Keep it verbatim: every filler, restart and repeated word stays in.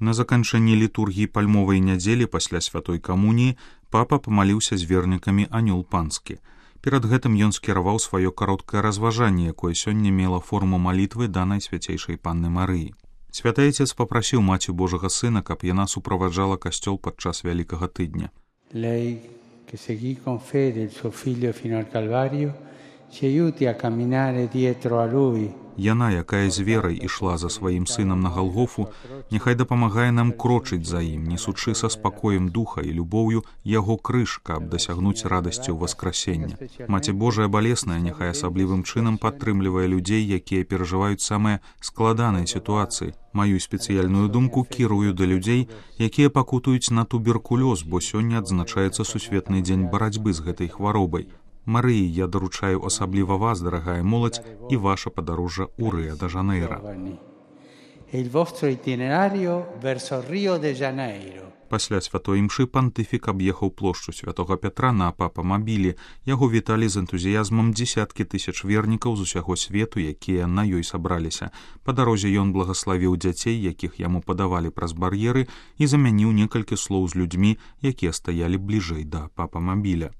На заканчэнні літургіі пальмовай нядзелі пасля святой камуніі папа памаліўся з вернікамі анёл панскі. Перад гэтым ён скіраваў сваё кароткае разважанне, якое сёння мела форму малітвы да Найсвяцейшай Панны Марыі. Святы Отец папрасіў Маці Божага Сына, каб яна суправаджала касцёл падчас Вялікага тыдня. Lei che seguì con fede il suo figlio fino al Calvario ci aiuti a camminare dietro a lui. Яна, якая з верай ішла за сваім сынам на Галгофу, няхай дапамагае нам крочыць за ім, несучы са спакоем духа і любоўю яго крыж, каб дасягнуць радасцю васкрасення. Маці Божая балесная няхай асаблівым чынам падтрымлівае людзей, якія перажываюць самыя складаныя сітуацыі. Маю спецыяльную думку кірую да людзей, якія пакутуюць на туберкулёз, бо сёння адзначаецца сусветны дзень барацьбы з гэтай хваробай. Марыі, я даручаю асабліва вас, дарагая моладзь, і ваша падарожжа ў Рыа-де-Жанейра. Пасля святой імшы пантыфік аб'ехаў плошчу святога Пятра на папамабілі. Яго віталі з энтузіязмам дзесяткі тысяч вернікаў з усяго свету, якія на ёй сабраліся. Па дарозе ён благаславіў дзяцей, якіх яму падавалі праз бар'еры, і замяніў некалькі слоў з людзьмі, якія стаялі бліжэй да папамабіля.